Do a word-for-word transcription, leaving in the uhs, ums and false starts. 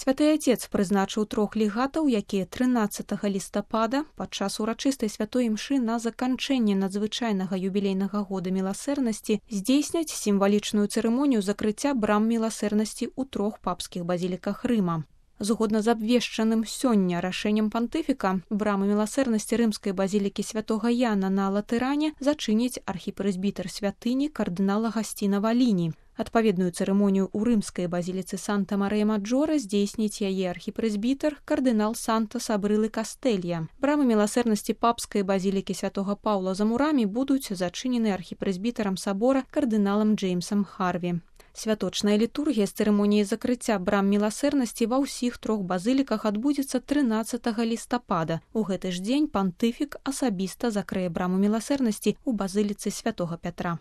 Святы Отец прызначыў трох легатаў, якія трынаццатага лістапада падчас урачыстай святой імшы на заканчэнне надзвычайнага юбілейнага года міласэрнасці здзейсняць сімвалічную цырымонію закрыцця брам міласэрнасці ў трох папскіх базіліках Рыма. Згодна з абвешчаным сёння рашэннем пантыфіка, брамы міласэрнасці рымскай базілікі святога Яна на Латыране зачыніць архіпрэзбітэр святыні кардынал Агасціна Валіні. Адпаведную цырымонію ў рымскай базіліцы Санта-Марыя-Маджора здзейсніць яе архіпрэзбітэр кардынал Санта-Сабрылы Кастэлья. Брамы міласэрнасці папскай базілікі святога Паўла за мурамі будуць зачынены архіпрэзбітарам сабора кардыналам Джеймсам Харві. Святочная літургія з цырымоніяй закрыцця брам міласэрнасці ва ўсіх трох базыліках адбудзецца трынаццатага лістапада. У гэты ж дзень пантыфік асабіста закрые браму міласэрнасці ў базыліцы святога Пятра.